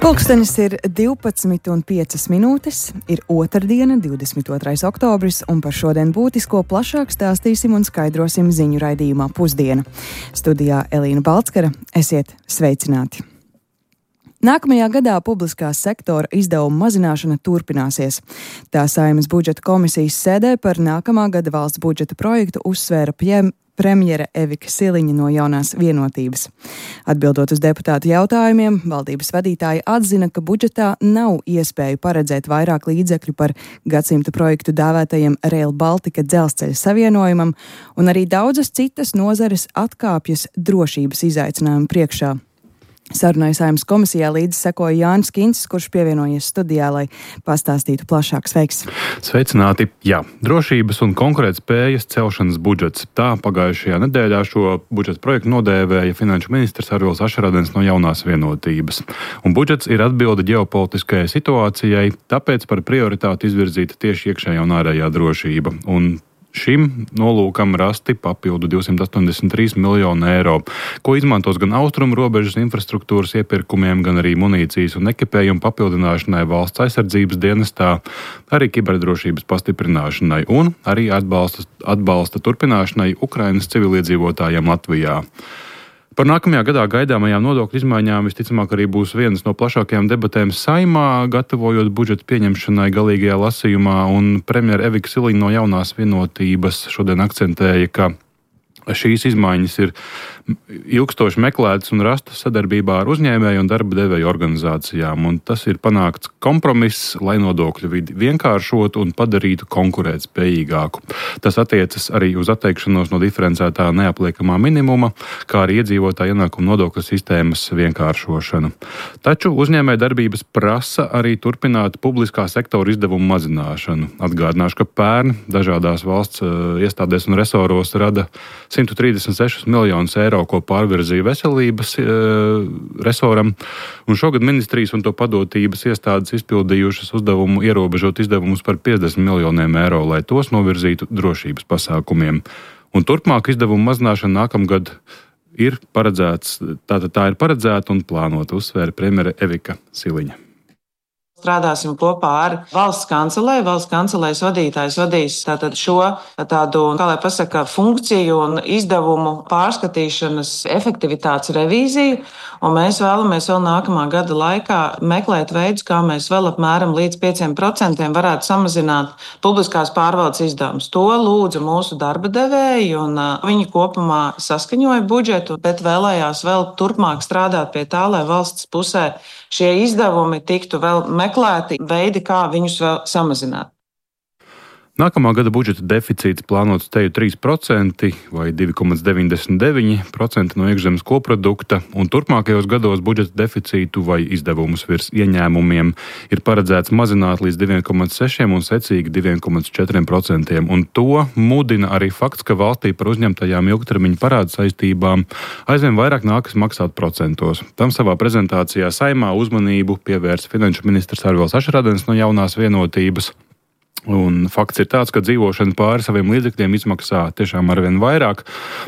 Pulkstenis ir 12,5 minūtes, ir otrdiena, 22. oktobris, un par šodien būtisko plašāk stāstīsim un skaidrosim ziņu raidījumā Pusdiena. Studijā Elīna Balckara, esiet sveicināti! Nākamajā gadā publiskā sektora izdevuma mazināšana turpināsies. Tā Saeimas budžeta komisijas sēdē par nākamā gada valsts budžeta projektu uzsvēra premjere Evika Siliņa no Jaunās Vienotības. Atbildot uz deputātu jautājumiem, valdības vadītāja atzina, ka budžetā nav iespēju paredzēt vairāk līdzekļu par gadsimta projektu dēvētajam Rail Baltica dzelzceļa savienojumam, un arī daudzas citas nozares atkāpjas drošības izaicinājumu priekšā. Sarunai Saeimas komisijā līdzi sekoja Jānis Kincis, kurš pievienojies studijā, lai pastāstītu plašāk. Sveiks! Sveicināti! Jā, drošības un konkurētspējas celšanas budžets. Tā pagājušajā nedēļā šo budžeta projektu nodēvēja finanšu ministrs Arvils Ašradens no Jaunās Vienotības. Un budžets ir atbilde ģeopolitiskajai situācijai, tāpēc par prioritāti izvirzīta tieši iekšējā un ārējā drošība. Un šim nolūkam rasti papildu 283 miljonu eiro, ko izmantos gan austrumu robežas infrastruktūras iepirkumiem, gan arī munīcijas un ekipējumu papildināšanai valsts aizsardzības dienestā, arī kiberdrošības pastiprināšanai un arī atbalsta turpināšanai Ukrainas civiliedzīvotājiem Latvijā. Par nākamajā gadā gaidāmajām nodokļu izmaiņām visticamāk arī būs vienas no plašākajām debatēm Saeimā, gatavojot budžeta pieņemšanai galīgajā lasījumā, un premjere Evika Siliņa no Jaunās Vienotības šodien akcentēja, ka šīs izmaiņas ir ilgstoši meklētas un rastas sadarbībā ar uzņēmēju un darba devēju organizācijām, un tas ir panākts kompromiss, lai nodokļu vidi vienkāršotu un padarītu konkurētspējīgāku. Tas attiecas arī uz atteikšanos no diferencētā neapliekamā minimuma, kā arī iedzīvotāju ienākumu nodokļu sistēmas vienkāršošanu. Taču uzņēmēju darbības prasa arī turpināt publiskā sektora izdevumu mazināšanu. Atgādināšu, ka pērn dažādās valsts iestādēs un resoros rada 136 miljonus eiro, ko pārvirzīja veselības resoram, un šogad ministrijas un to padotības iestādes izpildījušas uzdevumu ierobežot izdevumus par 50 miljoniem eiro, lai tos novirzītu drošības pasākumiem. Un turpmāk izdevumu mazināšana nākamgad ir paredzēts, tā ir paredzēta un plānota, uzsvēra premjere Evika Siliņa. Strādāsim kopā ar valsts kancelēju. Valsts kancelējas vadītājs vadīs tātad šo tādu, kā lai pasaka, funkciju un izdevumu pārskatīšanas efektivitātes revīziju, un mēs vēlamies vēl nākamā gada laikā meklēt veidus, kā mēs vēl apmēram līdz 5% varētu samazināt publiskās pārvaldes izdevumus. To lūdza mūsu darba devēji, un viņi kopumā saskaņoja budžetu, bet vēlējās vēl turpmāk strādāt pie tā, lai valsts pusē šie izdevumi tiktu vēl meklēti veidi, kā viņus vēl samazināt. Nākamā gada budžeta deficīts plānots teju 3% vai 2,99% no iekšzemes koprodukta, un turpmākajos gados budžeta deficītu vai izdevumus virs ieņēmumiem ir paredzēts mazināt līdz 2,6% un secīgi 2,4%, un to mudina arī fakts, ka valstī par uzņemtajām ilgtermiņa parādu saistībām aizvien vairāk nākas maksāt procentos. Tam savā prezentācijā Saeimā uzmanību pievērsa finanšu ministrs Arvils Ašradens no Jaunās Vienotības. Un fakts ir tāds, ka dzīvošana pāri saviem līdzekļiem izmaksā tiešām arvien vairāk.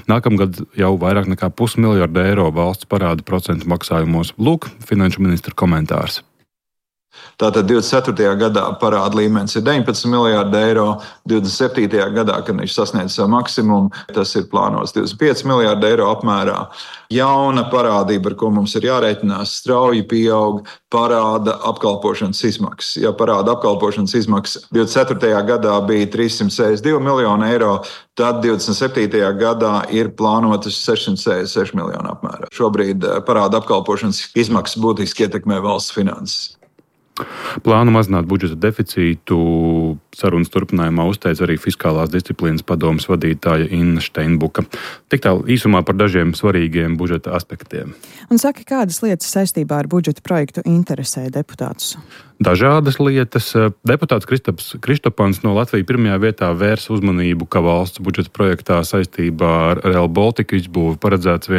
Nākamgad jau vairāk nekā 500 miljardu eiro valsts parāda procentu maksājumos. Lūk, finanšu ministra komentārs. Tātad 24. gadā parāda līmenis ir 19 miljārdi eiro, 27. gadā, kad viņš sasniedz savu maksimumu, tas ir plānots 25 miljārdi eiro apmērā. Jauna parādība, ar ko mums ir jārēķinās, strauji pieaug parāda apkalpošanas izmaksas. Ja parāda apkalpošanas izmaksas 24. gadā bija 362 miljoni eiro, tad 27. gadā ir plānotas 666 miljoni apmērā. Šobrīd parāda apkalpošanas izmaksas būtiski ietekmē valsts finanses. Plānu mazināt budžeta deficītu sarunas turpinājumā uzteica arī Fiskālās disciplīnas padomes vadītāja Inna Steinbuka. Tik tālu īsumā par dažiem svarīgiem budžeta aspektiem. Un saka, kādas lietas saistībā ar budžeta projektu interesē deputātus? Dažādas lietas. Deputāts Kristopans no Latvijas pirmajā vietā vērsa uzmanību, ka valsts budžeta projektā saistībā ar Rail Baltica izbūvi paredzēts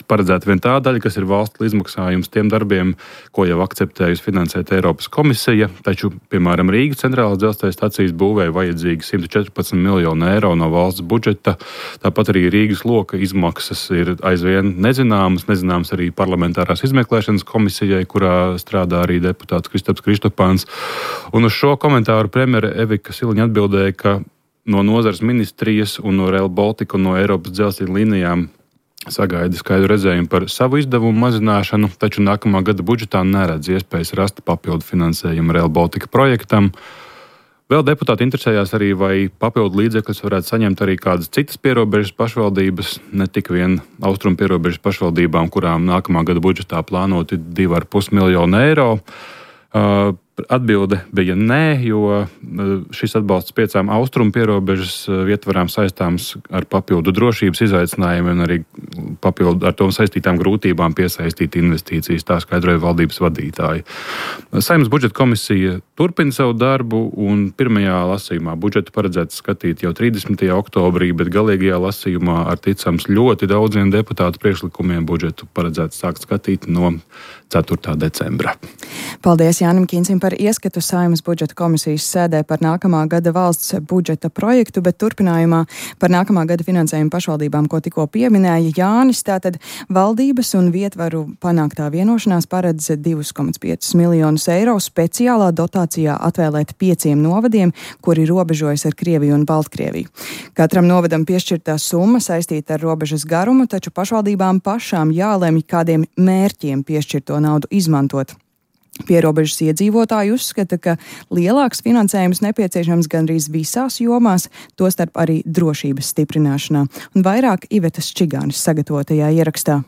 paredzēta vien tā daļa, kas ir valsts līdzmaksājums tiem darbiem, ko jau akceptējusi finansēt Eiropas komisija. Taču, piemēram, Rīgas centrālās dzelzceļa stacijas būvē vajadzīgi 114 miljonu eiro no valsts budžeta. Tāpat arī Rīgas loka izmaksas ir aizvien nezināmas arī parlamentārās izmeklēšanas komisijai, kurā strādā arī deputāts Kristaps Kristopāns. Un uz šo komentāru premjere Evika Siliņa atbildēja, ka no nozares ministrijas un no Rail Baltica un no Eiropas dzelzceļa līnijām sagaida skaidru redzējumu par savu izdevumu mazināšanu, taču nākamā gada budžetā neredz iespējas rast papildu finansējumu Rail Baltica projektam. Vēl deputāti interesējās arī, vai papildu līdzekļus varētu saņemt arī kādas citas pierobežas pašvaldības, ne tik vien austrumu pierobežas pašvaldībām, kurām nākamā gada budžetā plānoti 2,5 miljonu eiro. Atbilde bija nē, jo šis atbalsts 5 austrumu pierobežas vietvarām saistāms ar papildu drošības izaicinājumiem un arī papildu ar to saistītām grūtībām piesaistīt investīcijas, tā skaidroja valdības vadītāji. Saeimas budžeta komisija turpina savu darbu un pirmajā lasījumā budžetu paredzēts skatīt jau 30. oktobrī, bet galīgajā lasījumā ar ticams ļoti daudziem deputātu priekšlikumiem budžetu paredzēts sākt skatīt no 4. decembra. Paldies Jānim Kīncim par ieskatu Saeimas budžeta komisijas sēdē par nākamā gada valsts budžeta projektu, bet turpinājumā par nākamā gada finansējumu pašvaldībām, ko tikko pieminēja Jānis. Tātad valdības un vietvaru panāktā vienošanās paredz 2,5 miljonus eiro speciālā dotācijā atvēlēt 5 novadiem, kuri robežojas ar Krieviju un Baltkrieviju. Katram novadam piešķirtā summa saistīta ar robežas garumu, taču pašvaldībām pašām jālemj, kādiem mērķiem piešķirto naudu izmantot. Pierobežas iedzīvotāji uzskata, ka lielāks finansējums nepieciešams gandrīz visās jomās, tostarp arī drošības stiprināšanā. Un vairāk Ivetas Čigānis sagatavotajā ierakstā.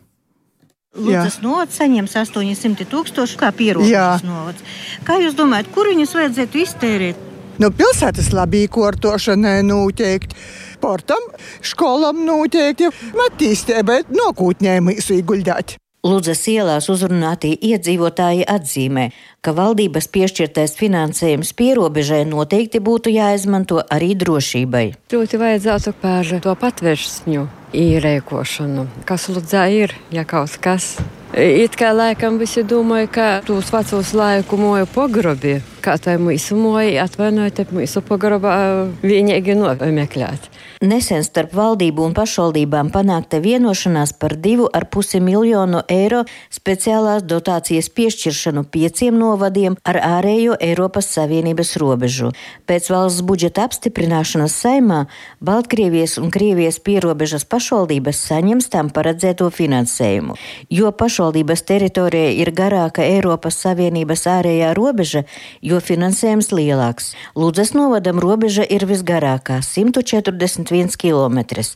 Ludzas novads saņems 800 000 kā pierobežas novads. Kā jūs domājat, kur viņus vajadzētu iztērēt? Pilsētas labīkortošanai noteikti, portam, skolam noteikti, attīstībai nokūtņēm ieguldāt. Ludzas ielās uzrunātie iedzīvotāji atzīmē, ka valdības piešķirtais finansējums pierobežai noteikti būtu jāizmanto arī drošībai. Ļoti vajadzētu par to patversņu īrēkošanu, kas Ludzā ir, ja kaut kas. It kā laikam visi domāja, ka tūs vecos laiku moju pogrobi, kā tai mūsu moju atvainoja, mūsu pogrobā vienīgi nomeklēt. Nesen starp valdību un pašvaldībām panākta vienošanās par 2,5 miljonu eiro speciālās dotācijas piešķiršanu 5 novadiem ar ārējo Eiropas Savienības robežu. Pēc valsts budžeta apstiprināšanas Saeimā Baltkrievijas un Krievijas pierobežas pašvaldības saņems tam paredzēto finansējumu. Jo pašvaldības teritorija ir garāka Eiropas Savienības ārējā robeža, jo finansējums lielāks. Ludzas novadam robeža ir visgarākā – 141 kilometrs.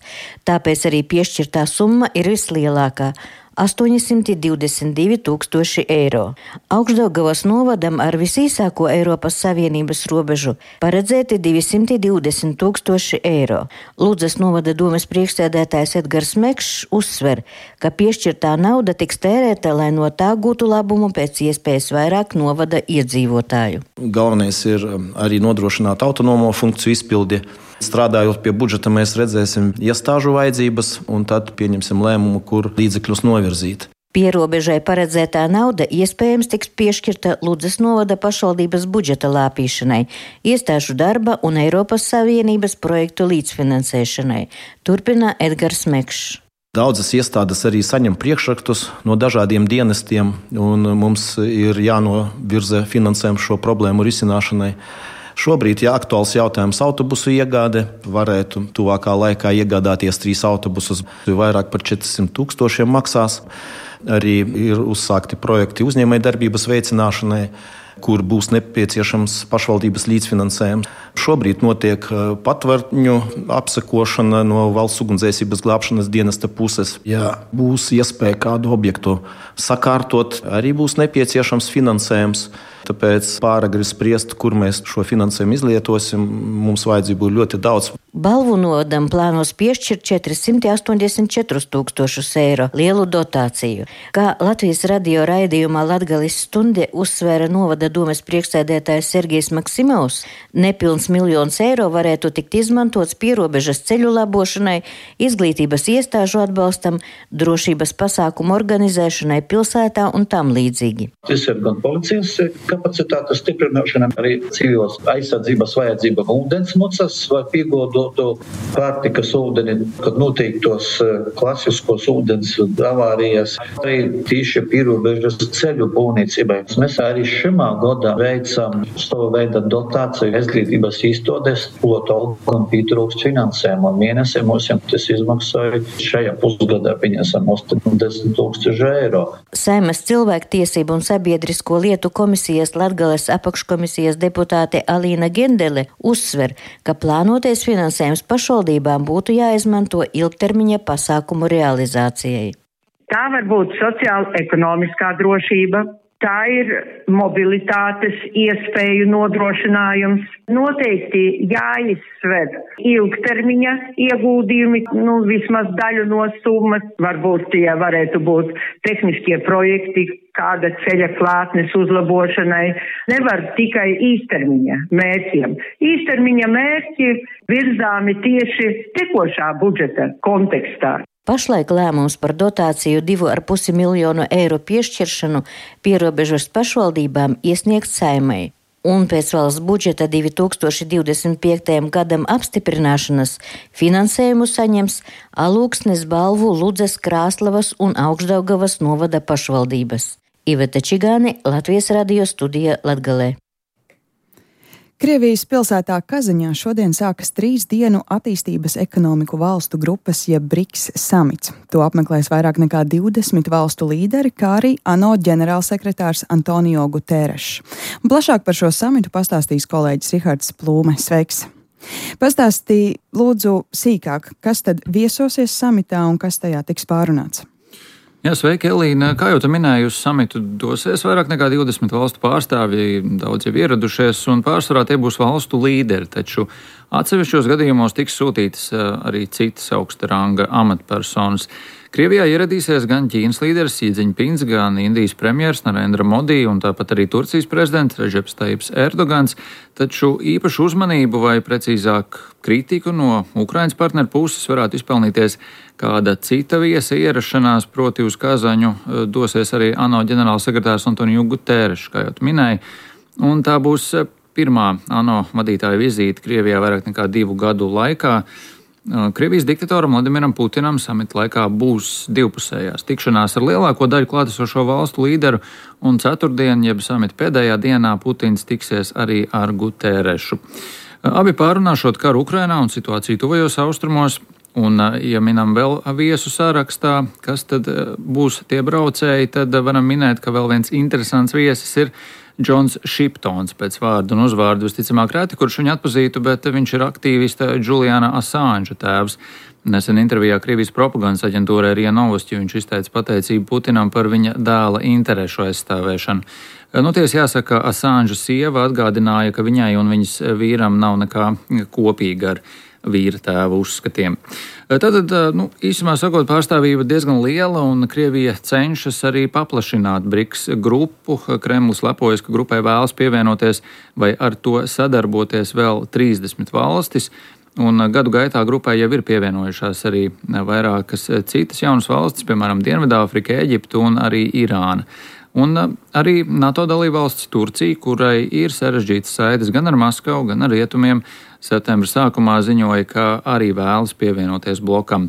Tāpēc arī piešķirtā summa ir vislielākā – 822 000 eiro. Augšdaugavas novadam ar visīsāko Eiropas Savienības robežu paredzēti 220 000 eiro. Ludzas novada domes priekšsēdētājs Edgars Mekšs uzsver, ka piešķirtā nauda tiks tērēta, lai no tā gūtu labumu pēc iespējas vairāk novada iedzīvotāju. Galvenais ir arī nodrošināt autonomo funkciju izpildi. Strādājot pie budžeta, mēs redzēsim iestāžu vajadzības un tad pieņemsim lēmumu, kur līdzekļus novirzīt. Pierobežai paredzētā nauda iespējams tiks piešķirta Ludzas novada pašvaldības budžeta lāpīšanai, iestāžu darba un Eiropas Savienības projektu līdzfinansēšanai, turpina Edgars Mekšs. Daudzas iestādes arī saņem priekšrakstus no dažādiem dienestiem, un mums ir jānovirza finansējums šo problēmu risināšanai. Šobrīd, ja aktuāls jautājums autobusu iegāde, varētu tuvākā laikā iegādāties 3 autobusus, vairāk par 400 000 maksās. Arī ir uzsākti projekti uzņēmējdarbības veicināšanai, kur būs nepieciešams pašvaldības līdzfinansējums. Šobrīd notiek patvarņu apsekošana no valsts ugunsdzēsības glābšanas dienesta puses. Ja būs iespēja kādu objektu sakārtot, arī būs nepieciešams finansējums. Tāpēc pāragri spriest, kur mēs šo finansējumu izlietosim, mums vajadzību būtu ļoti daudz. Balvu novadam plānos piešķirt 484 000 eiro lielu dotāciju. Kā Latvijas radio raidījumā Latgales stunde uzsvēra novada domes priekšsēdētājs Sergejs Maksimovs, nepilns miljons eiro varētu tikt izmantots pierobežas ceļu labošanai, izglītības iestāžu atbalstam, drošības pasākumu organizēšanai pilsētā un tam līdzīgi. Tas ir gan policijas kapacitātes stiprināšana, arī civilas aizsardzības vajadzība ūdensmucas vai piegodotu pārtikas ūdeni, kad noteiktos klasiskos ūdens avārijas, arī tīši pierobežas ceļu būvniecībai. Mēs arī šimā gadā veicam savu veidu dotāciju izglītības iestādes, pilotu algām pietrūkst finansējumu. Mēnesī mums tas izmaksāja šajā pusgadā pieņemsim 80 000 eiro. Saeimas cilvēktiesību un sabiedrisko lietu komisijas Latgales apakškomisijas deputāte Alīna Gendele uzsver, ka plānotais finansējums pašvaldībām būtu jāizmanto ilgtermiņa pasākumu realizācijai. Tā var būt sociāla-ekonomiskā drošība, tā ir mobilitātes iespēju nodrošinājums. Noteikti jāizsver ilgtermiņa ieguldījumi, vismaz daļu no summas. Varbūt tie varētu būt tehniskie projekti, kāda ceļa klātnes uzlabošanai. Nevar tikai īstermiņa mērķiem. Īstermiņa mērķi virzāmi tieši tekošā budžeta kontekstā. Pašlaik lēmums par dotāciju 2,5 miljonu eiro piešķiršanu pierobežas pašvaldībām iesniegts Saeimai. Un pēc valsts budžeta 2025. gadam apstiprināšanas finansējumu saņems Alūksnes, Balvu, Ludzas, Krāslavas un Augšdaugavas novada pašvaldības. Iveta Čigāne, Latvijas radio studija Latgalē. Krievijas pilsētā Kazaņā šodien sākas 3 dienu attīstības ekonomiku valstu grupas jeb BRICS samits. To apmeklēs vairāk nekā 20 valstu līderi, kā arī ANO ģenerālsekretārs Antonio Guterres. Plašāk par šo samitu pastāstīs kolēģis Rihards Plūme. Sveiks! Pastāstīja lūdzu sīkāk, kas tad viesosies samitā un kas tajā tiks pārunāts. Jā, sveiki, Elīna. Kā jau tu minēji, uz samitu dosies vairāk nekā 20 valstu pārstāvji, daudz jau ieradušies, un pārsvarā tie būs valstu līderi, taču atsevišķos gadījumos tiks sūtītas arī citas augsta ranga amatpersonas. Krievijā ieradīsies gan Ķīnas līderis Xi Jinpings, gan Indijas premjers Narendra Modi un tāpat arī Turcijas prezidents Redžeps Tajips Erdogans, taču īpašu uzmanību vai precīzāk kritiku no Ukrainas partneru puses varētu izpelnīties kāda cita viesa ierašanās, proti uz Kazaņu dosies arī ANO ģenerālsekretārs Antonio Guterres, kā jau tu minēji, un tā būs pirmā ANO vadītāja vizīte Krievijā vairāk nekā 2 gadu laikā. Krievijas diktatoram Vladimiram Putinam samita laikā būs divpusējās tikšanās ar lielāko daļu klātesošo valstu līderu, un ceturtdien, jeb samita pēdējā dienā, Putins tiksies arī ar Guterrešu. Abi pārunāšot karu Ukrainā un situāciju tuvajos austrumos, un, ja minam vēl viesu sarakstā, kas tad būs tie braucēji, tad varam minēt, ka vēl viens interesants viesis ir Džons Šiptons, pēc vārdu un uzvārdu visticamāk reti, kurš viņu atpazītu, bet viņš ir aktīvista Juliana Assange tēvs. Nesen intervijā Krievijas propagandas aģentūrai RIA Novosti viņš izteica pateicību Putinam par viņa dēla interešu aizstāvēšanu. Tiesa jāsaka, Assange sieva atgādināja, ka viņai un viņas vīram nav nekā kopīga ar vīra tēva uzskatiem. Tātad, īsumā sakot, pārstāvība diezgan liela, un Krievija cenšas arī paplašināt BRICS grupu. Kremlis lepojas, ka grupai vēlas pievienoties vai ar to sadarboties vēl 30 valstis, un gadu gaitā grupai jau ir pievienojušās arī vairākas citas jaunas valstis, piemēram, Dienvidāfrika, Eģipte un arī Irāna. Un arī NATO dalībvalsts Turcija, kurai ir sarežģītas saites gan ar Maskavu, gan ar rietumiem, septembra sākumā ziņoja, ka arī vēlas pievienoties blokam.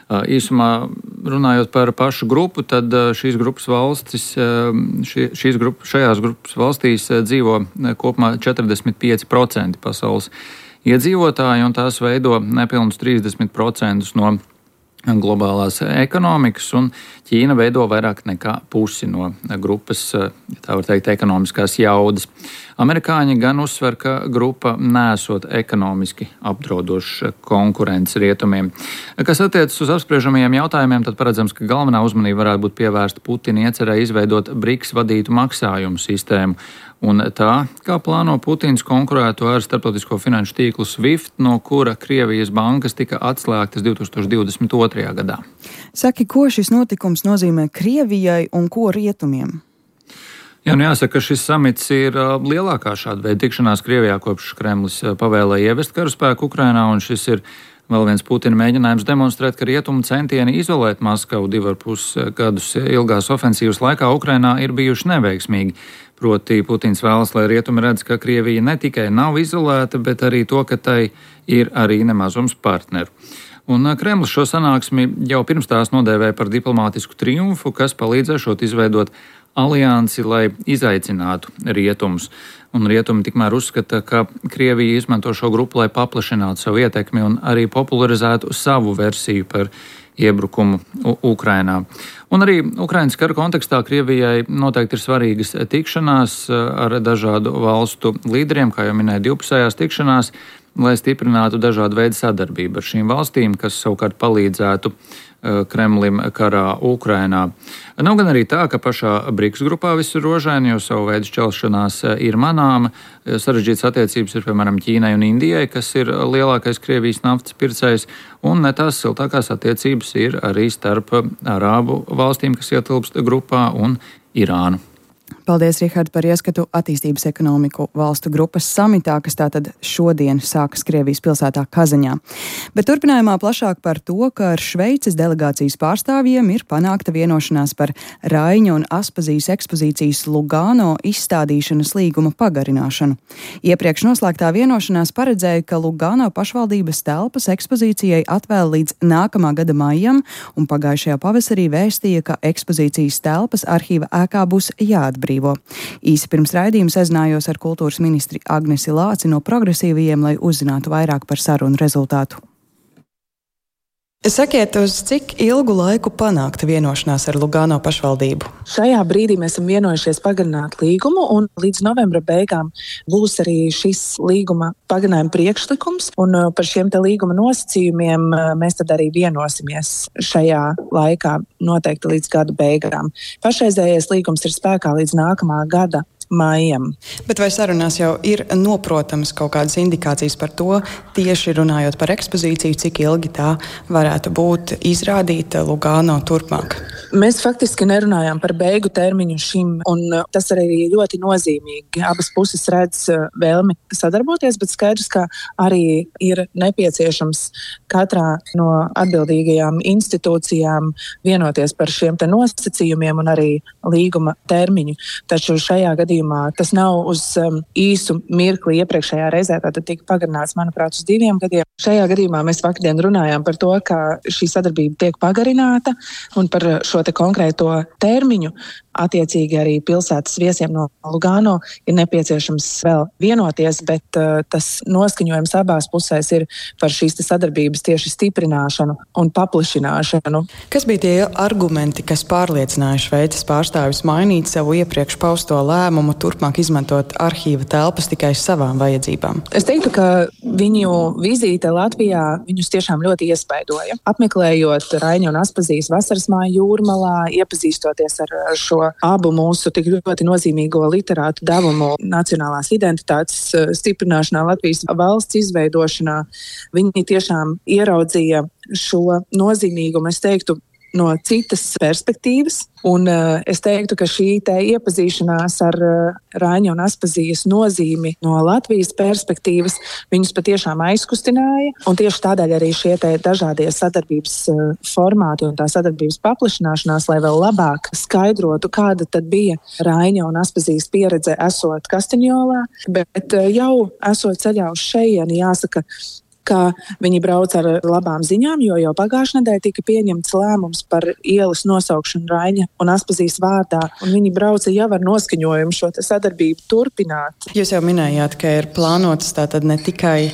Īsumā runājot par pašu grupu, tad šajās grupas valstīs dzīvo kopumā 45% pasaules iedzīvotāji, un tās veido nepilnus 30% no globālās ekonomikas, un Ķīna veido vairāk nekā pusi no grupas, tā var teikt, ekonomiskās jaudas. Amerikāņi gan uzsver, ka grupa nesot ekonomiski apdraudoša konkurence rietumiem. Kas attiecas uz apspriežamajiem jautājumiem, tad paredzams, ka galvenā uzmanība varētu būt pievērsta Putina iecerē izveidot BRICS vadītu maksājumu sistēmu, un tā, kā plāno Putins konkurētu ar starptautisko finanšu tīklu SWIFT, no kura Krievijas bankas tika atslēgtas 2022. gadā. Saki, ko šis notikums nozīmē Krievijai un ko rietumiem? Jā, jāsaka, ka šis samits ir lielākā šāda veida tikšanās Krievijā, kopš Kremlis pavēlēja ievest karaspēku Ukrainā, un šis ir vēl viens Putina mēģinājums demonstrēt, ka rietumu centieni izolēt Maskavu 2,5 gadus ilgās ofensīvas laikā Ukrainā ir bijuši neveiksmīgi. Proti Putins vēlas, lai rietumi redz, ka Krievija ne tikai nav izolēta, bet arī to, ka tai ir arī nemazums partneru. Un Kremlis šo sanāksmi jau pirms tās nodēvēja par diplomātisku triumfu, kas palīdzēšot izveidot aliansi, lai izaicinātu rietumus. Un rietumi tikmēr uzskata, ka Krievija izmanto šo grupu, lai paplašinātu savu ietekmi un arī popularizētu savu versiju par iebrukumu Ukrainā. Un arī Ukrainas kara kontekstā Krievijai noteikti ir svarīgas tikšanās ar dažādu valstu līderiem, kā jau minēja divpusējās tikšanās, lai stiprinātu dažādu veidu sadarbību ar šīm valstīm, kas savukārt palīdzētu Kremlim karā Ukrainā. Nav gan arī tā, ka pašā BRICS grupā viss ir rožaini, jo savu veidu šķelšanās ir manāma. Sarežģītas attiecības ir piemēram Ķīnai un Indijai, kas ir lielākais Krievijas naftas pircējs, un ne tās siltākās attiecības ir arī starp Arābu valstīm, kas ietilpst grupā, un Irānu. Paldies, Rihard, par ieskatu attīstības ekonomiku valstu grupas samitā, kas tātad šodien sākas Krievijas pilsētā Kazaņā. Bet turpinājumā plašāk par to, ka ar Šveices delegācijas pārstāvjiem ir panākta vienošanās par Raiņa un Aspazijas ekspozīcijas Lugano izstādīšanas līguma pagarināšanu. Iepriekš noslēgtā vienošanās paredzēja, ka Lugano pašvaldības telpas ekspozīcijai atvēl līdz nākamā gada maijam, un pagājušajā pavasarī vēstīja, ka ekspozīcijas telpas arhīva ēkā būs jāatbrīvo. Īsi pirms raidījuma sazinājos ar kultūras ministri Agnesi Lāci no Progresīvajiem, lai uzzinātu vairāk par sarunu rezultātu. Sakiet, uz cik ilgu laiku panākta vienošanās ar Lugano pašvaldību? Šajā brīdī mēs esam vienojušies pagarināt līgumu, un līdz novembra beigām būs arī šis līguma pagarinājuma priekšlikums, un par šiem te līguma nosacījumiem mēs tad arī vienosimies šajā laikā, noteikti līdz gada beigām. Pašreizējais līgums ir spēkā līdz nākamā gada maijam. Bet vai sarunās jau ir noprotams kaut kādas indikācijas par to, tieši runājot par ekspozīciju, cik ilgi tā varētu būt izrādīta Lugano turpmāk? Mēs faktiski nerunājām par beigu termiņu šim, un tas arī ļoti nozīmīgi. Abas puses redz vēlmi sadarboties, bet skaidrs, ka arī ir nepieciešams katrā no atbildīgajām institūcijām vienoties par šiem te nosacījumiem un arī līguma termiņu. Taču šajā gadījumā tas nav uz īsu mirkli. Iepriekšējā reizē tātad tika pagarināts, manuprāt, uz 2 gadiem. Šajā gadījumā mēs vakardien runājām par to, ka šī sadarbība tiek pagarināta, un par šo te konkrēto termiņu attiecīgi arī pilsētas viesiem no Lugano ir nepieciešams vēl vienoties, bet tas noskaņojums abās pusēs ir par šīs sadarbības tieši stiprināšanu un paplašināšanu. Kas bija tie argumenti, kas pārliecināja Šveices pārstāvis mainīt savu iepriekš pausto lēmumu, turpmāk izmantot arhīva telpas tikai savām vajadzībām? Es teiktu, ka viņu vizīte Latvijā viņus tiešām ļoti iespaidoja. Apmeklējot Raiņa un Aspazijas vasaras māju Jūrmalā, iepazīstoties ar šo abu mūsu tik ļoti nozīmīgo literātu devumu nacionālās identitātes stiprināšanā, Latvijas valsts izveidošanā, viņi tiešām ieraudzīja šo nozīmīgumu, es teiktu, no citas perspektīvas. Un es teiktu, ka šī te iepazīšanās ar Raiņa un Aspazijas nozīmi no Latvijas perspektīvas viņus patiešām aizkustināja. Un tieši tādēļ arī šie te dažādie sadarbības formāti un tā sadarbības paplašināšanās, lai vēl labāk skaidrotu, kāda tad bija Raiņa un Aspazijas pieredze esot Kastaņolā, bet jau esot ceļā uz šejieni, jāsaka, ka viņi brauc ar labām ziņām, jo jau pagājušajā nedēļā tika pieņemts lēmums par ielas nosaukšanu Raiņa un Aspazijas vārdā, un viņi brauca jau ar noskaņojumu šo sadarbību turpināt. Jūs jau minējāt, ka ir plānotas tātad ne tikai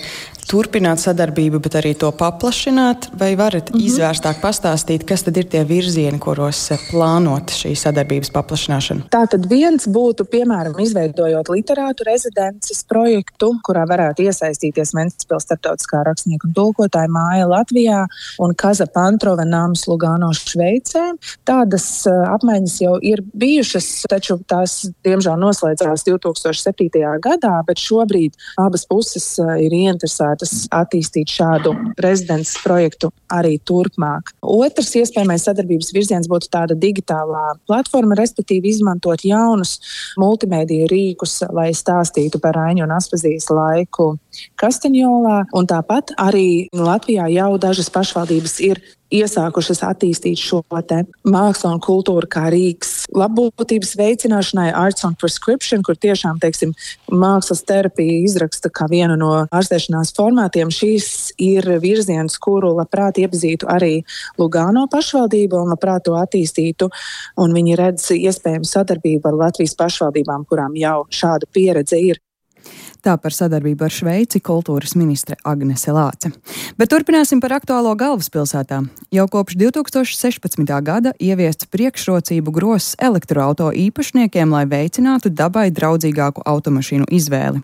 turpināt sadarbību, bet arī to paplašināt? Vai varat izvērstāk pastāstīt, kas tad ir tie virzieni, kuros plānot šī sadarbības paplašināšanu? Tātad viens būtu, piemēram, izveidojot literātu rezidences projektu, kurā varētu iesaistīties Ventspils starptautiskā rakstnieku un tulkotāja māja Latvijā un Kaza Pantrova nams Lugano Šveicē. Tādas apmaiņas jau ir bijušas, taču tās, diemžēl, noslēdzās 2007. gadā, bet šobrīd abas puses ir ieinteresētas attīstīt šādu rezidences projektu arī turpmāk. Otrs iespējamais sadarbības virziens būtu tāda digitālā platforma, respektīvi izmantot jaunus multimēdiju rīkus, lai stāstītu par Aiņu un Aspazijas laiku Kastaņolā. Un tāpat arī Latvijā jau dažas pašvaldības ir iesākušas attīstīt šo te mākslu un kultūru kā rīks labbūtības veicināšanai, Arts on Prescription, kur tiešām, mākslas terapija izraksta kā vienu no ārstēšanās formātiem. Šīs ir virziens, kuru labprāt iepazītu arī Lugano pašvaldību un labprāt to attīstītu, un viņi redz iespējamu sadarbību ar Latvijas pašvaldībām, kurām jau šāda pieredze ir. Tā par sadarbību ar Šveici kultūras ministre Agnese Lāce. Bet turpināsim par aktuālo galvaspilsētā. Jau kopš 2016. gada ieviests priekšrocību grozs elektroauto īpašniekiem, lai veicinātu dabai draudzīgāku automašīnu izvēli.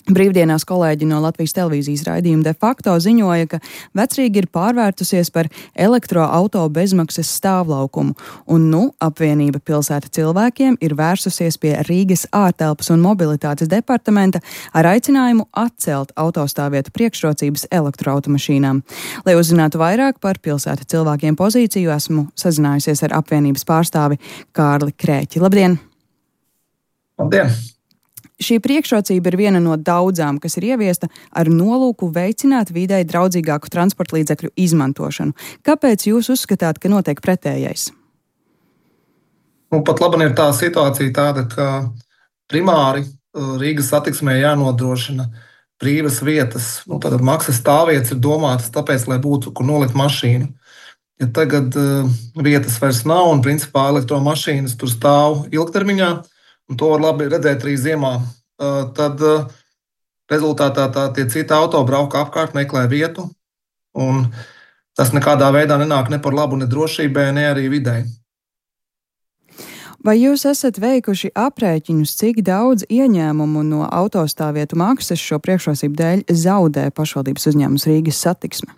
Brīvdienās kolēģi no Latvijas televīzijas raidījuma De facto ziņoja, ka Vecrīga ir pārvērtusies par elektroauto bezmaksas stāvlaukumu, un apvienība Pilsēta cilvēkiem ir vērsusies pie Rīgas ārtelpas un mobilitātes departamenta ar aicinājumu atcelt autostāvvietu priekšrocības elektroautomašīnām. Lai uzzinātu vairāk par Pilsēta cilvēkiem pozīciju, esmu sazinājusies ar apvienības pārstāvi Kārli Krēķi. Labdien! Labdien! Šī priekšrocība ir viena no daudzām, kas ir ieviesta ar nolūku veicināt videi draudzīgāku transporta līdzekļu izmantošanu. Kāpēc jūs uzskatāt, ka notiek pretējais? Pat labi ir tā situācija tāda, ka primāri Rīgas satiksmē jānodrošina brīvas vietas. Tātad maksas stāvvietas ir domātas tāpēc, lai būtu, kur nolikt mašīnu. Ja tagad vietas vairs nav un principā elektromašīnas tur stāv ilgtermiņā, un to var labi redzēt arī ziemā, tad rezultātā tie citi auto brauka apkārt, meklē vietu, un tas nekādā veidā nenāk ne par labu ne drošībai, ne arī videi. Vai jūs esat veikuši aprēķinus, cik daudz ieņēmumu no autostāvvietu maksas šo priekšrocību dēļ zaudē pašvaldības uzņēmums Rīgas satiksme?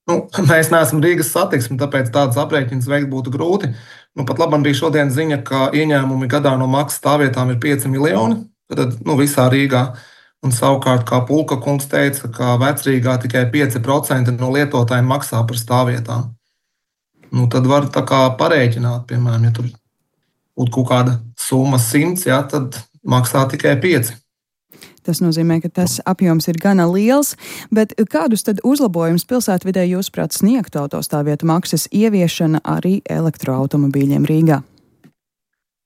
Mēs neesam Rīgas satiksme, tāpēc tādas aprēķinas veikt būtu grūti. Pat labam bija šodien ziņa, ka ieņēmumi gadā no maksas stāvvietām ir 5 miljoni, tad visā Rīgā. Un savukārt, kā Pulka kungs teica, ka Vecrīgā tikai 5% no lietotājiem maksā par stāvvietām. Tad var tā kā parēķināt, piemēram, ja tur būtu kaut kāda summa 100, tad maksā tikai 5. Tas nozīmē, ka tas apjoms ir gana liels, bet kādus tad uzlabojumus pilsētvidē jūsuprāt sniegtu autostāvvietu maksas ieviešana arī elektroautomobīļiem Rīgā?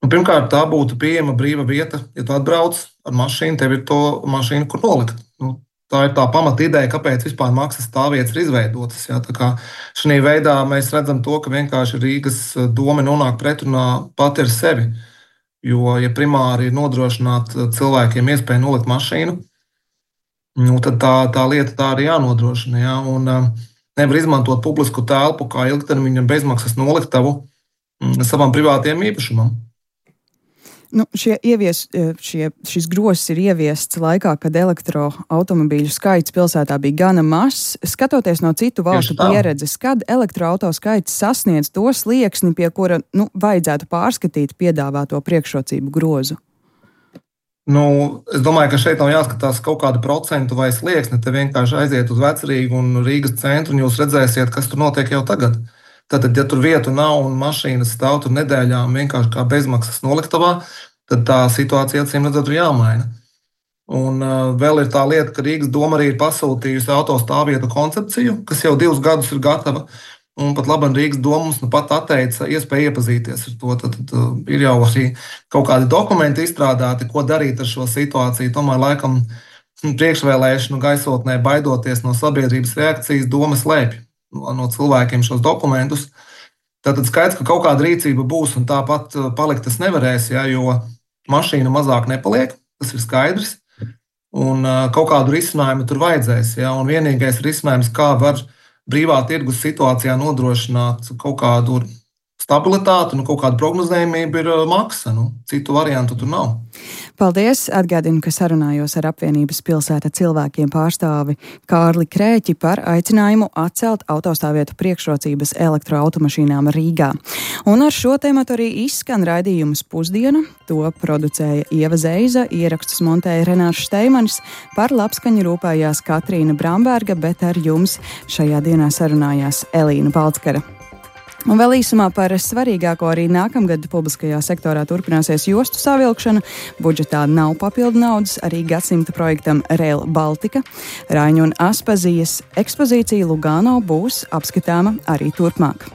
Pirmkārt, tā būtu pieejama brīva vieta. Ja tu atbrauc ar mašīnu, tev ir to mašīnu, kur nolikt. Tā ir tā pamata ideja, kāpēc vispār maksas stāvvietas ir izveidotas. Šī veidā mēs redzam to, ka vienkārši Rīgas doma nonāk pretrunā pati ar sevi. Jo, ja primāri ir nodrošināt cilvēkiem iespēju nolikt mašīnu, tad tā lieta tā arī jānodrošina. Ja? Un nevar izmantot publisku telpu kā ilgtermiņa bezmaksas noliktavu savam privātiem īpašumam. Šis grozs ir ieviests laikā, kad elektroautomobīļu skaits pilsētā bija gana mazs. Skatoties no citu valstu pieredzes, kad elektroauto skaits sasniedz to slieksni, pie kura vajadzētu pārskatīt piedāvāto priekšrocību grozu? Es domāju, ka šeit nav jāskatās kaut kādu procentu vai slieksni. Te vienkārši aiziet uz Vecrīgu un Rīgas centru, un jūs redzēsiet, kas tur notiek jau tagad. Tātad, ja tur vietu nav un mašīnas stāv tur nedēļām vienkārši kā bezmaksas noliktavā, tad tā situācija acīm redzot ir jāmaina. Un vēl ir tā lieta, ka Rīgas doma arī ir pasūtījusi autostāvvietu koncepciju, kas jau 2 gadus ir gatava, un pat labi Rīgas doma mums pat atteica iespēju iepazīties ar to. Tad ir jau arī kaut kādi dokumenti izstrādāti, ko darīt ar šo situāciju. Tomēr laikam priekšvēlēšanu gaisotnē baidoties no sabiedrības reakcijas doma slēpj no cilvēkiem šos dokumentus. Tātad skaidrs, ka kaut kāda rīcība būs un tāpat palikt tas nevarēs, jo mašīna mazāk nepaliek, tas ir skaidrs. Un kaut kādu risinājumu tur vajadzēs. Ja? Un vienīgais risinājums, kā var brīvā tirgus situācijā nodrošināt kaut kādu stabilitāti, kaut kādu prognozējumību, ir maksa. Citu variantu tur nav. Paldies! Atgādinu, ka sarunājos ar apvienības pilsēta cilvēkiem pārstāvi Kārli Krēķi par aicinājumu atcelt autostāvvietu priekšrocības elektroautomašīnām Rīgā. Un ar šo tematu arī izskan raidījums Pusdiena. To producēja Ieva Zeiza, ierakstus montēja Renārs Šteimanis, par labskaņu rūpējās Katrīna Bramberga, bet ar jums šajā dienā sarunājās Elīna Balckara. Un vēl īsumā par svarīgāko arī nākamgad publiskajā sektorā turpināsies jostu savilkšana. Budžetā nav papildu naudas arī gadsimta projektam Rail Baltica. Raiņu un Aspazijas ekspozīcija Lugano būs apskatāma arī turpmāk.